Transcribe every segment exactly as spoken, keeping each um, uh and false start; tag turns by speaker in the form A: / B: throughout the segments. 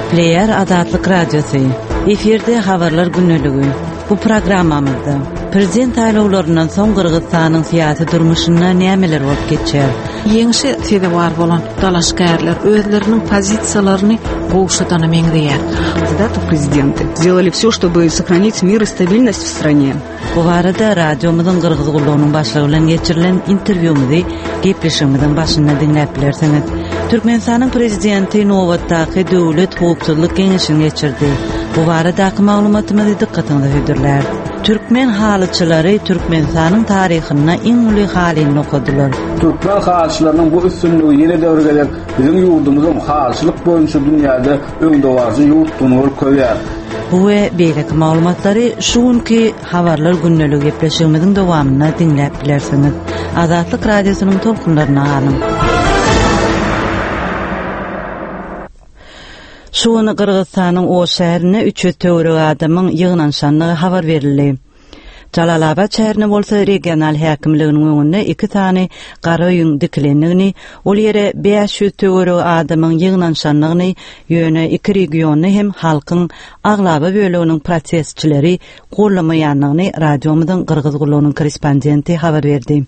A: Gepleýär Azatlyk Radiosy. Efirde habarlar gündeligi. Bu programmamyzda prezident saýlawlaryndan soň Gyrgyzystanyň syýasy durmuşynda nämeler bolup geçýär?
B: Ýeňşe sezewar bolan dalaşgärler özleriniň pozisiýalaryny gowşadana meňzeýär.
C: Кандидатов в президенты сделали все, чтобы сохранить мир и стабильность в стране.
A: Bu barada radiomyzyň Gyrgyz gullugynyň başlygy bilen geçirilen interwýumyzy gepleşigimiziň başynda diňläp bilersiňiz. Türkmenistanyň prezidenti nobatdaky döwlet howpsuzlyk geňeşini geçirdi. Bu baradaky maglumatymyzy dykgatyňyza hödürlär. Türkmen halyçylary Türkmenistanyň taryhynda iň uly halyny dokadylar.
D: Türkmen halyçylarynyň bu üstünligi ýene-de bir gezek biziň ýurdumyzyň halyçylyk boýunça dünýäde öňdebaryjy ýurtdugyny görkezýär.
A: Bu we beýleki maglumatlary şu günki habarlar gündeligi gepleşigimiziň dowamynda diňläp bilersiňiz. Azatlyk radiosynyň tolkunlaryna galyň. Şu gün Gyrgyzystanyň Oş şäherinde üç ýüz töweregi adamyň ýygnanyşandygy habar berildi. Jalalabat şäherinde bolsa regional häkimliginiň öňünde iki sany gara öýüň dikilendigini, ol ýere bäş ýüz töweregi adamyň ýygnanyşandygyny, ýöne iki regionda hem halkyň aglaba böleginiň protestçileri gollamaýandygyny radiomyzyň Gyrgyz gullugynyň korrespondenti habar berdi.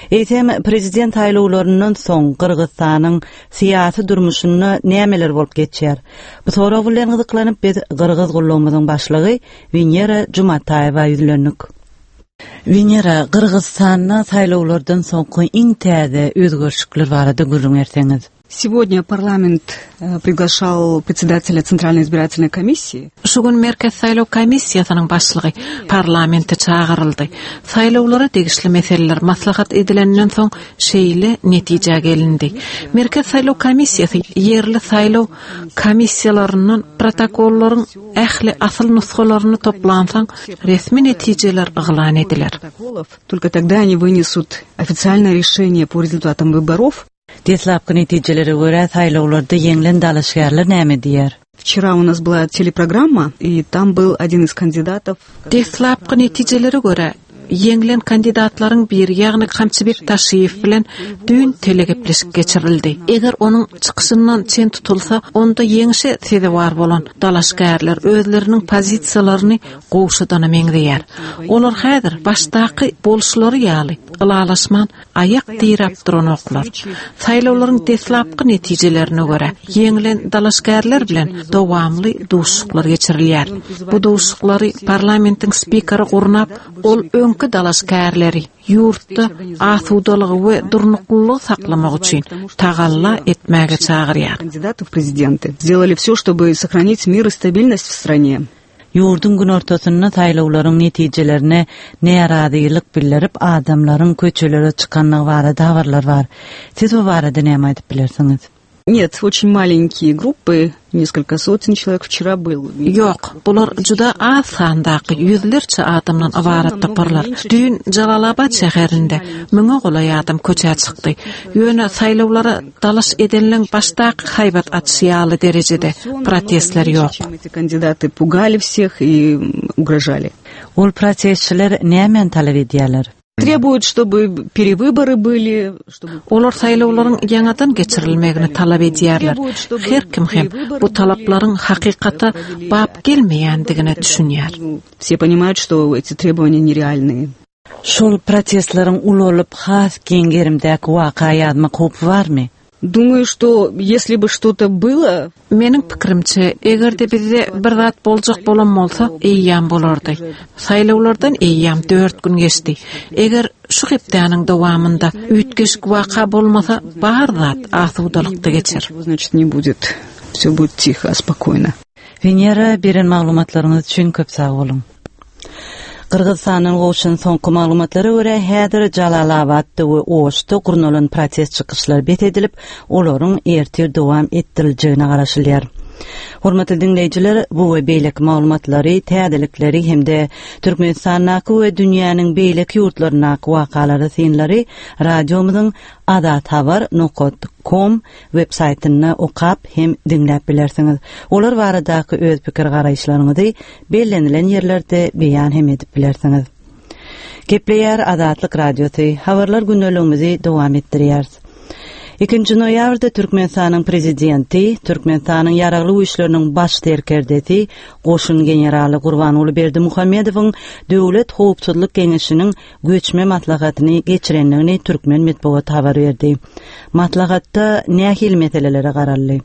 A: Eýsem prezident saýlawlaryndan soň Gyrgyzystanyň syýasy durmuşynda nämeler bolup geçýär? Bu sorag bilen gyzyklanyp biz Gyrgyz gullugymyzyň başlygy Wenera Jumataýewa ýüzlendik. Wenera, Gyrgyzystanda saýlawlardan soňky iň täze özgerişlikler barada gürrüň berseňiz.
C: Сегодня парламент э, приглашал председателя Центральной избирательной комиссии.
B: Şu gün Merkez saýlaw komissiýasynyň başlygy parlamente çagyryldy. Saýlawlara degişli meseleler maslahat edilenden soň şeýle netije gelindi. Merkez saýlaw komissiýasy ýerli saýlaw komissiýalaryndan protokollaryň ähli asyl nusgalaryny toplansaň resmi netijeler yglan ediler.
C: Протоколов. Только тогда они вынесут официальное решение по результатам выборов.
A: Deslapky netijelere görä saýlawlarda ýeňlen dalaşgärler näme diýer?
C: Вчера у нас была телепрограмма, и там был один из кандидатов.
B: Deslapky netijelere görä ýeňlen kandidatlaryň biri, ýagny Kamçybek Taşiýew bilen düýn telegepleşik geçirildi. Eger onuň çykyşyndan çen tutulsa, onda ýeňşe sezewar bolan dalaşgärler özleriniň pozisiýalaryny gowşadana meňzeýär. Olar häzir başdaky boluşlary ýaly ylalaşman aýak diräp duranoklar. Saýlawlaryň deslapky netijelerine görä ýeňlen dalaşgärler bilen dowamly duşuşyklar geçirilýär. Bu duşuşyklary parlamentiň spikeri gurnap, ol öňki dalaşgärleri ýurtda asudalygy we durnuklylygy saklamak üçin tagalla etmäge çagyrýar.
C: Кандидатов в президенты сделали все, чтобы сохранить мир и стабильность в стране.
A: Ýurduň günortasynda saýlawlaryň netijelerine närazylyk bildirip adamlaryň köçelere çykanlygy barada habarlar bar. Siz bu barada näme aýdyp bilersiňiz?
C: Нет, очень маленькие группы, несколько сотен человек вчера был.
B: Ýok, bular juda az sandaky ýüzlerçe adamdan ybarat toparlar. Düýn Jalalabat şäherinde müňe golaý adam köçä çykdy. Ýöne saýlawlara dalaş edenleň başdaky haýbat atyşy ýaly derejede protestler ýok.
C: Чем эти кандидаты пугали всех и м, угрожали.
A: Ol protestçiler nämäni talap edýärler?
C: Требуют, чтобы перевыборы были, чтобы
B: Olar saýlawlaryň ýaňadan geçirilmegini talap edýärler. Her kim hem bu talaplaryň hakykata bap gelmeýändigine düşünýär.
C: Все понимают, что эти требования нереальные.
A: Şol protestleriň ulalyp has giň gerimdäki waka ýazmak howpy barmy?
C: Думаю, что если бы что-то было,
B: Meniň pikirimçe, eger-de bizde bir zat boljak bolan bolsa, eýýäm bolardy. Saýlawlardan eýýäm dört gün geçdi. Eger şu hepdäniň dowamynda üýtgeşik waka bolmasa, bar zat asudalykda geçer.
C: ничего, значит, не будет. Все будет тихо, спокойно.
A: Wenera, beren maglumatlaryňyz üçin köp sag boluň. Gyrgyzystanyň gowşan soňky maglumatlara görä häzir Jalalabatda we Oşda gurnalan protest çykyşlar bet edilip, olaryň ertir dowam etdiriljegine garaşylýar. Hormatly diňleýjiler, bu we beýleki maglumatlary, täzelikleri hem-de Türkmenistandaky we dünýäniň beýleki ýurtlaryndaky wakalary synlary radiomyzyň azathabar nokta com web saýtynda okap hem diňläp bilersiňiz. Olar baradaky öz pikir garaýyşlaryňyzy bellenilen ýerlerde beýan hem edip bilersiňiz. Gepleýär Azatlyk radiosy habarlar gündeligimizi dowam etdirýär. Ikinji noýabrda Türkmenistanyň prezidenti, Türkmenistanyň ýaragly güýçleriniň baş serkerdesi, goşun generaly Gurbanguly Berdimuhamedowyň Döwlet howpsuzlyk geňeşiniň göçme maslahatyny geçirendigini türkmen metbugat habar berdi. Maslahatda nähili meselelere garaldy?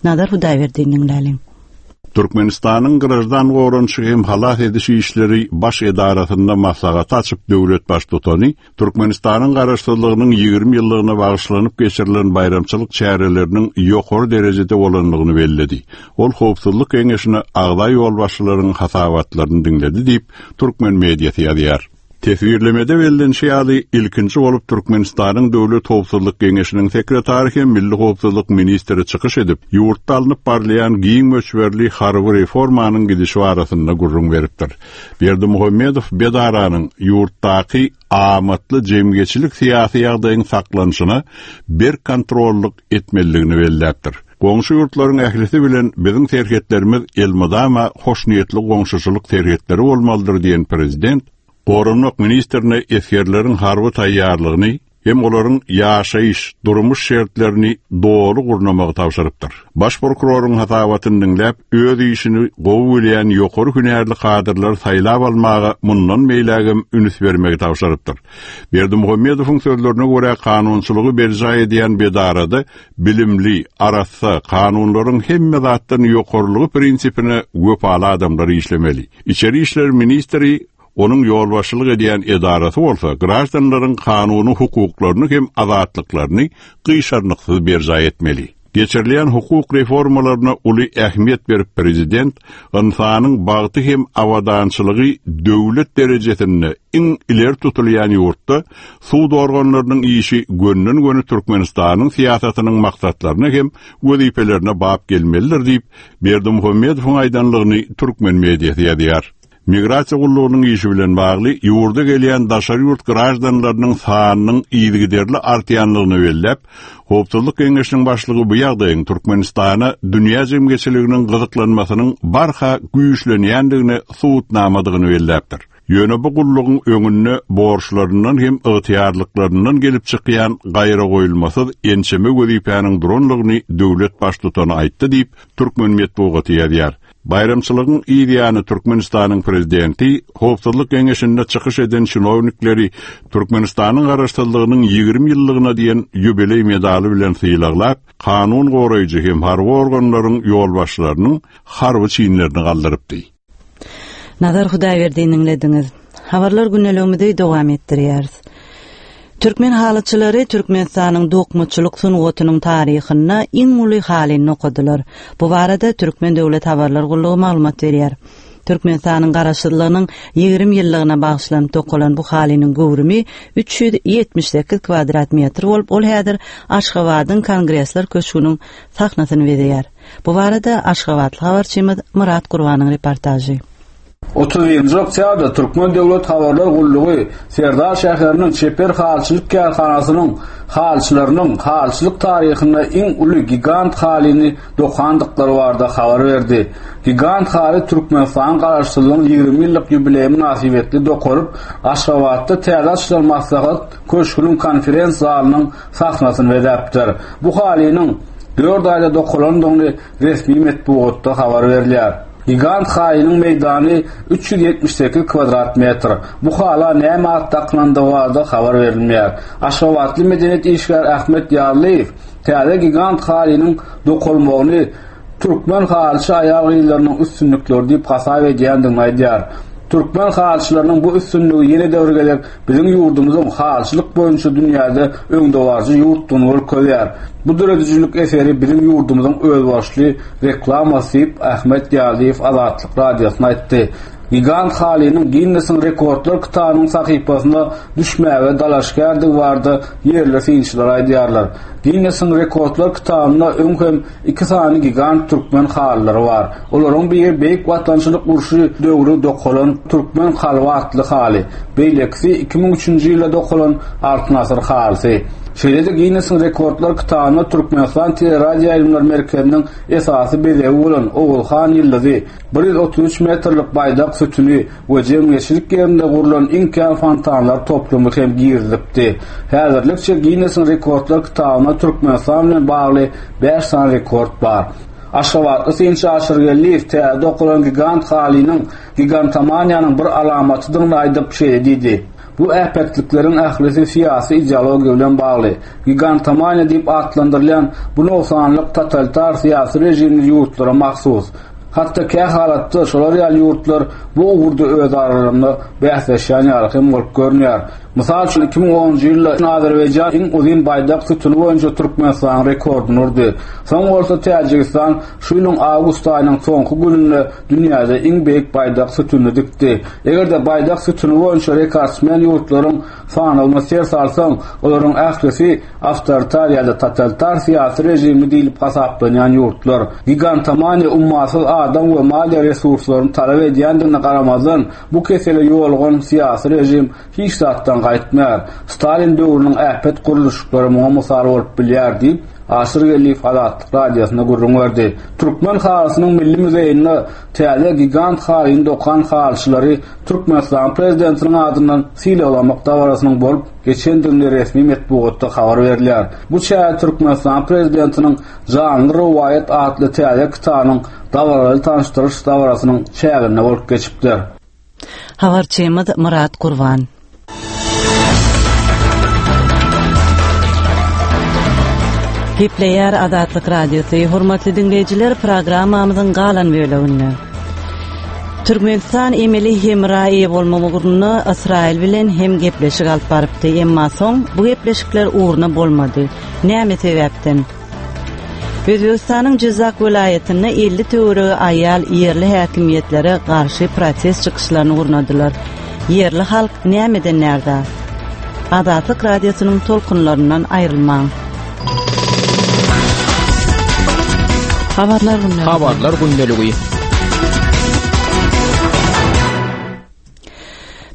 A: Nazar Hudaýberdiýew diňläliň.
E: Türkmenistanyň Graždan goranyşy hem halas ediş işleri baş edarasynda maslahat açyp döwlet baştutany Türkmenistanyň garaşsyzlygynyň ýigrimi ýyllygyna bagyşlanyp geçirilen baýramçylyk çäreleriniň ýokary derejede bolandygyny belledi. Ol howpsuzlyk geňeşine agza ýolbaşçylaryň hasabatlaryny diňledi diýip türkmen mediasy ýazýar. Teswirlemede bellenişi ýaly ilkinji bolup Türkmenistanyň Döwlet Howpsuzlyk Geňeşiniň sekretary hem Milli Howpsuzlyk ministri çykyş edip, ýurtda alnyp barylýan giň möçberli harby reformanyň gidişi barasynda gürrüň beripdir. Berdimuhamedow Bedaranyň ýurtdaky amatly jemgyýetçilik syýasy ýagdaýyň saklanyşyna berk kontrollyk etmelidigini belläpdir. Goňşy ýurtlaryň ählisi bilen biziň serhetlerimiz elmydama hoşniýetli goňşuçylyk serhetleri bolmalydyr diýen prezident Goranmak ministrine esgerleriň harby taýýarlygyny hem olaryň ýaşaýyş, durmuş şertlerini doly gurnamagy tabşyrypdyr. Baş prokuroryň hasabatyny diňläp, öz işini gowy bilýän ýokary hünärli kadrlary saýlap almaga mundan beýlägem üns bermegi tabşyrypdyr. Berdimuhamedowyň sözlerine görä kanunçylygy berjaý edýän bedarada bilimli, arassa, kanunlaryň hemme zatdan ýokarylygy prinsipine wepaly adamlar işlemeli. İçeri işler ministri Onuň ýolbaşçylyk edýän edarasy bolsa graždanlaryň kanuny hukuklaryny hem azatlyklaryny gyşarnyksyz berjaý etmeli. Geçirilýän hukuk reformalaryna uly ähmiýet berip prezident ynsanyň bagty hem abadançylygy döwlet derejesinde iň ileri tutulýan ýurtda sud organlarynyň işi gönden-göni Türkmenistanyň syýasatynyň maksatlaryna hem wezipelerine bap gelmelidir diýip Berdimuhamedowyň aýdanlygyny türkmen mediasy ýazýar. Migrasiýa gullugynyň işi bilen bagly ýurda gelýän daşary ýurt graždanlarynyň sanynyň yzygiderli artýanlygyny belläp, Howpsuzlyk Geňeşiniň başlygy bu ýagdaýyň Türkmenistana dünýä jemgyýetçiliginiň gyzyklanmasynyň barha güýçlenýändigini subutnamadygyny belläpdir. Ýöne bu gullugyň öňünde borçlaryndan hem ygtyýarlyklaryndan gelip çykýan gaýra goýulmasyz ençeme wezipäniň duranlygyny döwlet baştutany aýtdy diýip türkmen metbugaty ýazýar. Baýramçylygyň ýany Türkmenistanyň prezidenti Howpsuzlyk Geňeşinde çykyş eden çinownikleri Türkmenistanyň garaşsyzlygynyň ýigrimi ýyllygyna diýen ýubileý medaly bilen sylaglap, kanun goraýjy hem harby organlaryň ýolbaşçylarynyň harby çinlerini galdyrypdy.
A: Nazar Hudaýberdiýew diňlediňiz. Habarlar gündeligimizi dowam etdirýäris. Türkmen halyçylary Türkmenistanyň dokmaçylyk sungatynyň taryhynda iň uly halyny okadylar. Bu barada Türkmen Döwlet Habarlar Gullugy maglumat berýär. Türkmenistanyň garaşsyzlygynyň ýigrimi ýyllygyna bagyşlanyp dokalan bu halynyň göwrümi üç ýüz ýetmiş sekiz kvadrat metr bolup, ol häzir Aşgabadyň Kongresler köşgüniň sahnasyny bezeýär. Bu barada Aşgabatly habarçymyz Murat Gurbanyň reportažy.
D: Otuz birinji oktýabrda Türkmen Döwlet Habarlar Gullugy Serdar şäheriniň Çeper halyçylyk kärhanasynyň halyçylarynyň halyçylyk taryhynda iň uly gigant halyny dokandyklary barada habar berdi. Gigant haly Türkmenistanyň garaşsyzlygynyň ýigrimi ýyllyk ýubileýi mynasybetli dokalyp, Aşgabatda täze açylan maslahat köşgüniň konferens zalynyň sahnasyny bezäpdir. Bu halynyň dört aýda dokalandygyny resmi metbugatda habar berilýär. Gigant halynyň meýdany üç ýüz ýetmiş sekiz kvadrat metr. Bu hala näme at dakylandygy barada habar berilmeýär. Aşgabatly medeniýet işgäri Ahmet Ýarlyýew täze gigant halynyň dokalmagyny türkmen halyçy aýal-gyzlarynyň üstünlikleri diýip hasap edýändigini aýdýar. Türkmen halyçylarynyň bu üstünligi ýene de bir gezek biziň ýurdumyzyň halyçylyk boýunça dünýäde öňdebaryjy ýurtdugyny görkezýär. Bu döredijilik eseri biziň ýurdumyzyň özbaşly reklamasy diýip Ahmet Ýarlyýew Azatlyk radiosyna aýtdy. Gigant halynyň Guinnessiň rekordlar kitabynyň sahypasyna düşmäge dalaşgärdigi barada ýerli synçylar aýdýarlar. Guinnessiň rekordlar kitabynda öň hem iki sany gigant türkmen halylary bar. Olaryň biri Beýik Watançylyk urşy döwri dokalan Türkmen kalby atly haly, beýlekisi iki müň üçünji ýylda dokalan Altyn asyr halysy. Şeýle-de Ginnesiň rekordlar kitabyna Türkmenistan Teleradioýaýlymlar merkeziniň esasy bezegi bolan Ogulhan ýyldyzy, bir ýüz otuz üç metrlik baýdak sütüni we jemgyýetçilik ýerinde gurlan iň kän fontanlar toplumy hem girizilipdi. Häzirlikçe Ginnesiň rekordlar kitabyna Türkmenistan bilen bagly bäş sany rekord bar. Aşgabatly synçy Aşyr Geldiýew täze dokulan gigant halynyň gigantomaniýanyň bir alamatydygyny aýdyp şeýle diýdi. Bu äpetlikleriň ählisi syýasy ideologiýa bilen bagly. Gigantomaniýa diýip atlandyrylýan bu nogsanlyk totalitar syýasy režimli ýurtlara mahsus. Hatda kä halatda şolar ýaly ýurtlar bu ugurda öz aralarynda bäsleşýän ýaly hem bolup görünýär. Mysal üçin iki müň onunjy ýylda Azerbaýjan iň uzyn baýdak sütüni boýunça Türkmenistanyň rekordyny urdy. Soň bolsa Täjigistan şu ýylyň awgust aýynyň soňky gününde dünýäde iň beýik baýdak sütünini dikdi. Eger-de baýdak sütüni boýunça rekordsmen ýurtlaryň sanawyna ser salsaň, olaryň ählisi awtoritar ýa-da totalitar syýasy režimli diýlip hasaplanýan ýurtlar. Gigantomaniýa ummasyz adam we maliýe resurslaryny talap edýändigine garamazdan, bu kesele ýolgan syýasy režim hiç zatdan gaýtmaýar. Stalin döwrüniň äpet gurluşyklary muňa mysal bolup bilýär diýip, Aşyr Geldiýew Azatlyk radiosyna gürrüň berdi. Türkmen halysynyň milli muzeýinde täze gigant halyny dokan halyçylary Türkmenistan prezidentiniň adyndan sylaglamak dabarasynyň bolup geçendigini resmi metbugatda habar berilýär. Bu çäre Türkmenistan prezidentiniň Janly rowaýat atly täze kitabynyň dabaraly tanyşdyryş dabarasynyň çäginde bolup geçipdir.
A: Habarçymyz Murat Gurban. Gepleýär Azatlyk Radiosy. Hormatly dinleýjiler, programmamyzyň galan böleginde Türkmenistan emeli hemra eýe bolmak ugrunda Ysraýyl bilen hem gepleşik alyp barypdy, emma soň bu gepleşikler ugruna bolmady. Näme sebäpden? Özbegistanyň Jizak welaýatynda elli töweregi aýal ýerli häkimiýetlere garşy protest çykyşlaryny gurnadylar. Ýerli halk nämeden närde? Azatlyk Radiosynyň tolkunlaryndan aýrylmaň.
B: Habarlar gündeligi.
F: Habarlar gündeligi.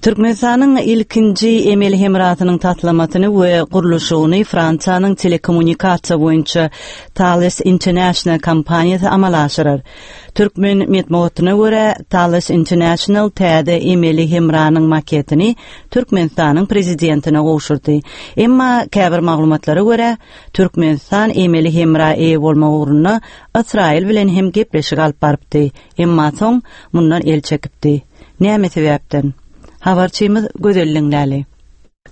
A: Türkmenistanyň ilkinji emeli hemrasynyň taslamasyny we gurluşygyny Fransiýanyň telekommunikasiýa boýunça Thales International kompaniýasy amala aşyrar. Türkmen metbugatyna görä Thales International täze emeli hemranyň maketini Türkmenistanyň prezidentine gowşurdy. Emma käbir maglumatlara görä Türkmenistan emeli hemra eýe bolmak ugrunda Ysraýyl bilen hem gepleşik alyp barypdy. Emma soň mundan el çekipdi. Näme sebäpden? Habarçymyz Gözelliň Läli.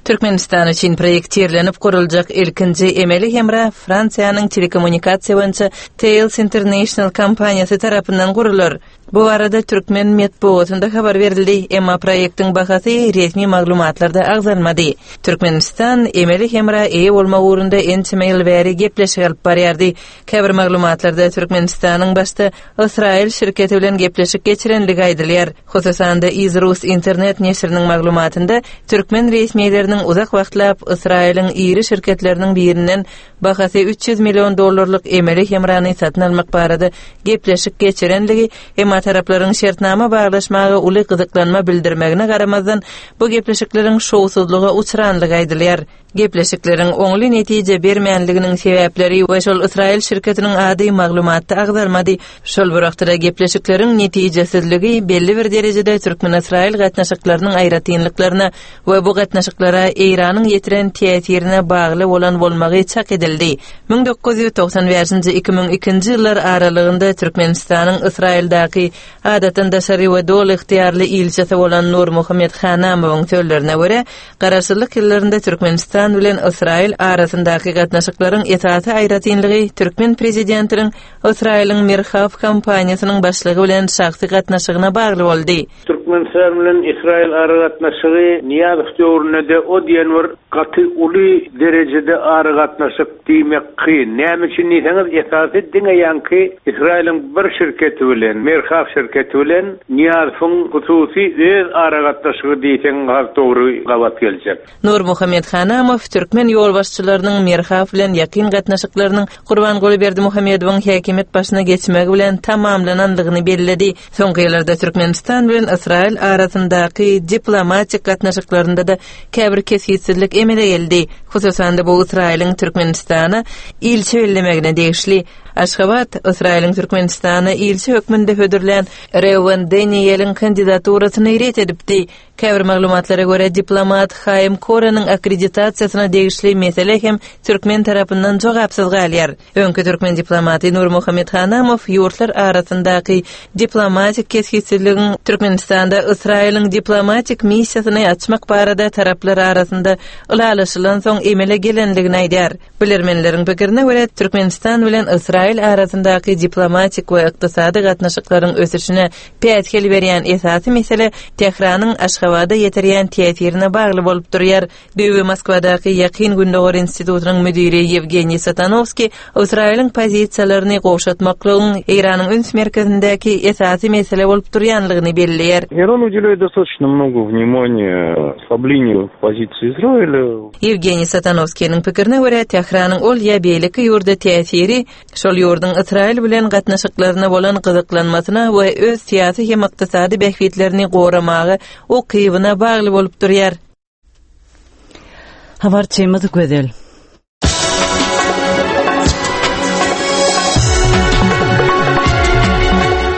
G: Türkmenistan üçin proýektirlenip guruljak ilkinji emeli hemra Fransiýanyň telekommunikasiýa boýunça Thales International kompaniýasy tarapyndan gurular. Bu arada Türkmen metbugatynda habar berildi, emma proýektiň bahasy resmi maglumatlarda agzalmady. Türkmenistan emeli hemra eýe bolmak ugrunda ençeme ýyl bäri gepleşik alyp barýardy. Käbir maglumatlarda Türkmenistanyň başda Ysraýyl şirketi bilen gepleşik geçirenligi aýdylýar. Hususan-da Izrus internet neşiriniň maglumatynda türkmen resmileriniň uzak wagtlap Ysraýylyň iri şirketleriniň birinden bahasy üç ýüz million dollarlyk emeli hemrany satyn almak barada gepleşik geçirenligi, emma taraplaryň şertnama baglaşmaga uly gyzyklanma bildirmegine garamazdan bu gepleşikleriň şowsuzlyga uçranlygy aýdylýar. Gepleşikleriň oňly netije bermänliginiň sebäpleri we şol Ysraýyl şirketiniň ady maglumatda agzalmady. Şol bir wagtda gepleşikleriň netijesizligi belli bir derejede Türkmen-Ysraýyl gatnaşyklarynyň aýratynlyklaryna we bu gatnaşyklara Eýranyň ýetiren täsirine bagly bolan bolmagy çak edildi. Müň dokuz ýüz togsan bäşinji iki müň ikinji ýyllar aralygynda Türkmenistanyň Ysraýyldaky adatdan daşary we doly ygtyýarly ilçisi bolan Nur Muhammed Hanamowyň sözlerine görä, garaşsyzlyk ýyllarynda Türkmenistan bilen Ysraýyl arasyndaky gatnaşyklaryň esasy aýratynlygy türkmen prezidentiniň Ysraýylyň Merhav kompaniýasynyň başlygy bilen şahsy gatnaşygyna bagly boldy.
H: Türkmenistan bilen Ysraýyl aragatnaşygy Niýazow döwründe de o diýen bir gaty uly derejede aragatnaşyk diýmek kyn. Näme üçin diýseňiz, esasy diňe ýaňky Ysraýylyň bir şirketi bilen, Merhav şirketi bilen Niýazowyň hususy öz aragatnaşygy diýseň has dogry gabat geljek.
G: Nur Muhammed Hanamow türkmen ýolbaşçylarynyň Merhav bilen ýakyn gatnaşyklarynyň Gurbanguly Berdimuhamedowyň häkimiýet başyna geçmegi bilen tamamlanandygyny belledi. Soňky ýyllarda Türkmenistan bilen Ysraýyl Ysraýyl arasyndaky diplomatik gatnaşyklarynda-da käbir kesgitsizlik emele geldi. Hususan-da bu Ysraýylyň Türkmenistana ilçi bellemegine degişli. Aşgabat Ysraýylyň Türkmenistana ilçi hökmünde hödürlän Reuven Danieliň kandidaturasyny ret edipdi. Käbir maglumatlara görä diplomat Haim Koreniň akkreditasiýasyna degişli mesele hem türkmen tarapyndan jogapsyz galýar. Öňki türkmen diplomaty Nurmuhammet Hanamow ýurtlar arasyndaky diplomatik kesgitsizligiň Türkmenistanda Ysraýylyň diplomatik missiýasyny açmak barada taraplar arasynda ylalaşylan soň emele gelenligini aýdar. Bilermenleriň pikirine görä Türkmenistan bilen Ysraýyl arasyndaky diplomatik we ykdysady gatnaşyklaryň ösüşine päsgel berýän esasy mesele Tähranyň Aşgabada ýetirýän täsirine bagly bolup durýar. Düýbi Moskwadaky Ýakyn Gündogar institutynyň müdiri Ýewgeniý Satanowski Ysraýylyň pozisiýalaryny gowşatmaklygyň Eýranyň üns merkezindäki esasy mesele bolup durýanlygyny belleýär.
F: Иран уделяет достаточно много внимания ослаблению позиции Израиля.
G: Ýewgeniý Satanowskiniň pikirine görä Tähranyň ol ýa beýleki ýurda täsiri şol ýurduň Ysraýyl bilen gatnaşyklaryna bolan gyzyklanmasyna we öz syýasy hem ykdysady bähbitlerini goramaga ukybyna bagly bolup durýar.
A: Habarçymyz Gözel.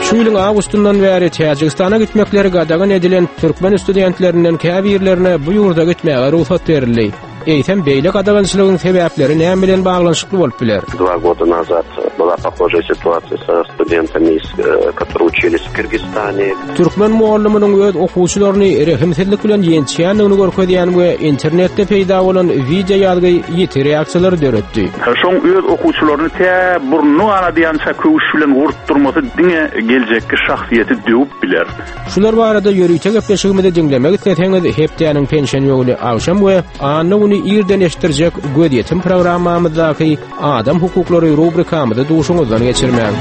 I: Şu ýylyň awgustyndan bäri Täjigistana gitmekleri gadagan edilen türkmen studentlerinden käbirlerine bu ýurda gitmäge rugsat berildi. Eýsem beýle gadagançylygyň sebäpleri näme bilen baglanyşykly bolup biler?
J: Два года назад была похожая ситуация со студентами, из, э, которые учились в Кыргызстане.
I: Türkmen mugallymynyň öz okuwçylaryny rehimsizlik bilen ýençýändigini görkezýän we internetde peýda bolan wideo ýazgy ýiti reaksiýalary döretdi.
K: Şoň öz okuwçylaryny tä burnuny ganadýança köwüş bilen gurtdurmasy diňe geljekki şahsyýeti döwüp biler.
I: Şular barada ýörite gepleşigimizi diňlemek isleseňiz hepdäniň penşenbe güni agşam we anna güni irden eşitdirjek gözýetim programmamyzdaky Adam hukuklary rubrikamyzy duşuňyzdan geçirmäň.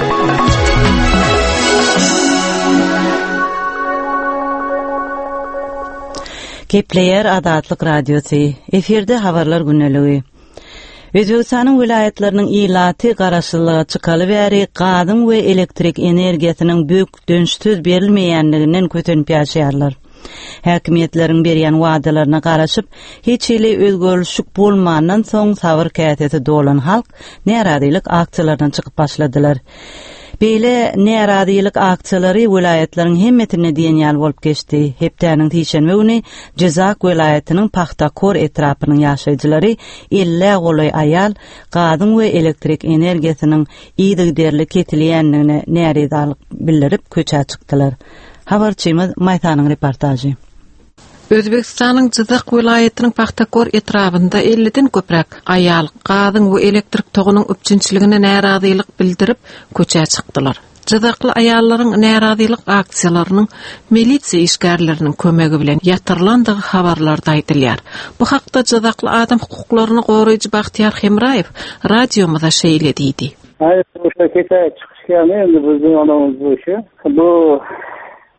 A: Gepleýär Azatlyk Radiosy. Efirde habarlar güneligi. Özbegistanyň welaýatlarynyň ilaty garaşsyzlyga çykaly bäri gazyň we elektrik energiýasynyň bökdençsiz berilmeýänliginden kösenip ýaşaýarlar. Häkimiýetleriň berýän wadalaryna garaşyp, hiç hili özgerişik bolmandan soň sabyr käsesi dolan halk närazylyk aksiýalaryna çykyp başladylar. Beýle närazylyk aksiýalary welaýatlaryň hemmesinde diýen ýaly bolup geçdi. Hepdäniň sişenbe güni Jizak welaýatynyň Pahtakor etrapynyň ýaşaýjylary elli golaý aýal gazyň we elektrik energiýasynyň yzygiderli kesilýändigine närazylyk bildirip köçä çykdylar. Habarçymyz Maýsanyň reportažy.
B: Özbegistanyň Jizak welaýatynyň Pahtakor etrabynda elliden köpräk aýal gazyň we elektrik togunyň üpjünçiligine närazylyk bildirip köçä çykdylar. Jizakly aýallaryň närazylyk aksiýalarynyň milisiýa işgärleriniň kömegi bilen ýatyrylandygy habarlarda aýdylýar. Bu hakda Jizakly adam hukuklaryny goraýjy Bagtyýar Hemraýew radiomyza şeýle diýdi.
L: Hayır, o'sha kecha chiqishgani endi bizning onamiz bu ishi. Bu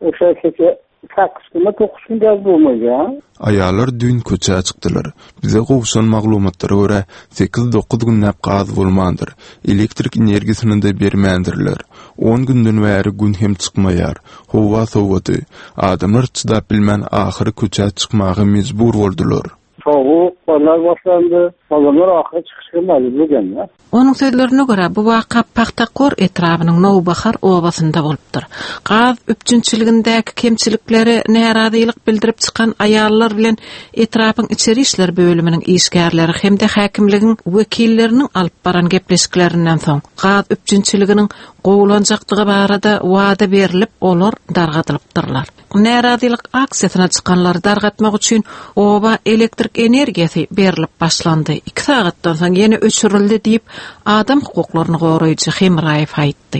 L: o'sha kecha sakkiz kunmi to'qqiz kun gaz bo'lmagan.
M: Aýallar düýn köçä çykdylar. Bize gowşan maglumatlara görä sekiz dokuz günläp gaz bolmandyr. Elektrik energiýasyny da bermändirler. On günden bäri gün hem çykmaýar. Howa sowady. Adamlar çydap bilmän ahyry köçä çykmaga mejbur boldular.
L: Soğuk, onlar başlandy. Adamlar ahyry çykyşga mejbur bolganlar.
B: Onuň sözlerine görä bu waka Pahtakor etrabynyň Nowbahar obasynda bolupdyr. Gaz üpjünçiligindäki kemçiliklere närazylyk bildirip çykan aýallar bilen etrapyň içeri işler bölüminiň işgärleri hem-de häkimligiň wekilleriniň alyp baran gepleşiklerinden soň gaz üpjünçiliginiň gowulanjakdygy barada wada berilip, olar dargadylypdyrlar. Närazylyk aksiýasyna çykanlary dargatmak üçin oba elektrik energiýasy berilip başlandy. Iki sagatdan soň ýene öçürildi diýip adam hukuklaryny goraýjy Hemraýew aýtdy.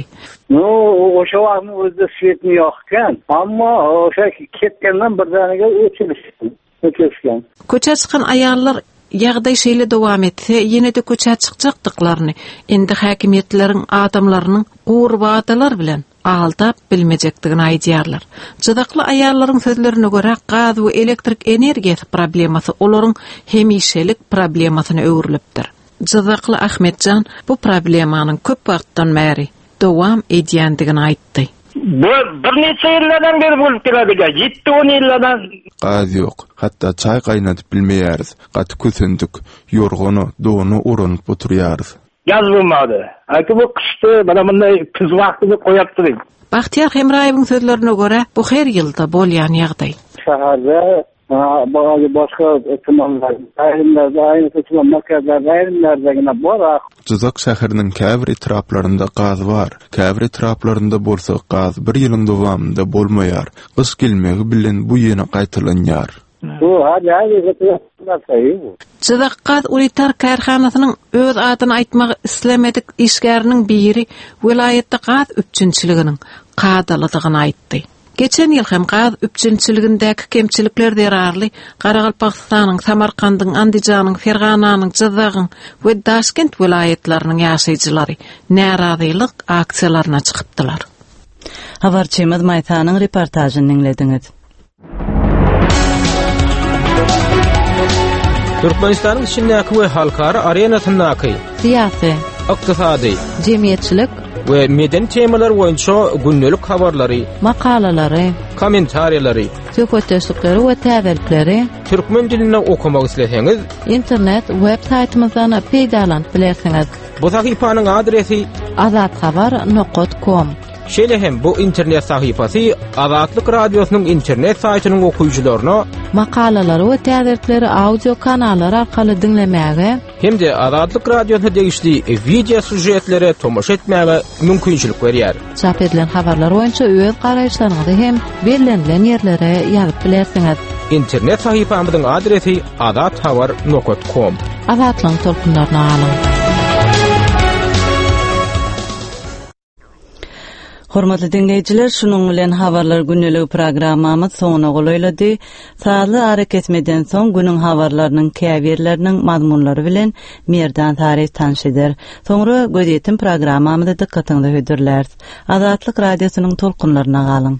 L: No, o'sha vaqtni o'zida svetni yoqgan, ammo o'sha ketgandan birdaniga o'chirishgan, o'chirishgan.
B: Köçä çykan aýallar ýagdaý şeýle dowam etse, ýene-de köçä çykjakdyklaryny, indi häkimiýetleriň adamlarynyň gury wadalar bilen aldap bilmejekdigini aýdýarlar. Jizakly aýallaryň sözlerine görä gaz we elektrik energiýasy problemasy olaryň hemişelik problemasyna öwrülipdir. Jizakly Ahmetjan bu problemanyň köp wagtdan bäri dowam edýändigini aýtdy.
N: Bu birnäçe ýyllardan beri bolup gelýär. Ýetdi on ýyllardan.
M: Gaz ýok. Hatda çaý gaýnadyp bilmeýäris. Gaty kösendik. Ýorgana, dona oranyp oturýarys.
N: Gaz bolmady. Aýty bu gyşdy, mana munday küz wagtyny goýapdyr.
B: Bagtyýar Hemraýewiň sözlerine görä, bu her ýylda bolýan ýagdaý.
L: Şäherde bazı başga tumanlar, aýrymlarda, aýry tuman merkezlerde, aýrymlarda ýene bar.
M: Jyzak şäheriniň käbir etraplarynda gaz bar. Käbir etraplarynda bolsa gaz bir ýylyň dowamynda bolmaýar. Gyş gelmegi bilen bu ýene gaýtalanýar.
L: Bu hadi hadi bu.
B: Jyzak gaz unitar kärhanasynyň öz adyny aýtmagy islemedik işgäriniň biri welaýatda gaz üpjünçiliginiň kadalydygyny aýtdy. Geçen ýyl hem gaz üpjünçiligindäki kemçilikler zerarly Garagalpagystanyň, Samarkandyň, Andijanyň, Fergananyň, Jyzagyň we Daşkent welaýatlarynyň ýaşaýjylary närazylyk aksiýalaryna çykypdylar.
A: Habarçymyz Maýsanyň reportažyny diňlediňiz.
I: Türkmenistanyň içindäki we halkara arenasyndaky
O: syýasy,
I: ykdysady,
O: jemgyýetçilik
I: we medeni temalar boýunça gündelik habarlary,
O: makalalary,
I: kommentariýalary,
O: söhbetdeşlikleri we täzelikleri
I: türkmen dilinde okamak isleseňiz,
O: internet web saýtymyzdan peýdalanyp bilersiňiz.
I: Bu sahypanyň adresi
O: azathabar nokta com.
I: Şeýle hem bu internet sahypasy Azatlyk Radiosynyň internet saýtynyň okyjylaryna
O: makalalary we täzelikleri audio kanallar arkaly diňlemäge
I: hem-de Azatlyk Radiosyna degişli video süžetlere tomaşa etmäge mümkinçilik berýär.
O: Çap edilen habarlar boýunça öz garaýyşlaryňyzy hem bellenilen ýerlere ýazyp bilersiňiz.
I: Internet sahypamyzyň adresi azathabar nokta com.
O: Azatlygyň tolkunlaryna galyň.
A: Hormatly dinleýjiler, şunuň bilen habarlar gündelik programmamyz soňuna golaýlady. Sazly ara kesmeden soň günüň habarlarynyň käbirleriniň mazmunlary bilen Merdan Sary tanyş eder. Soňra gözýetim programmamyzy dykgatyňyza hödürläris. Azatlyk radiosynyň tolkunlaryna galyň.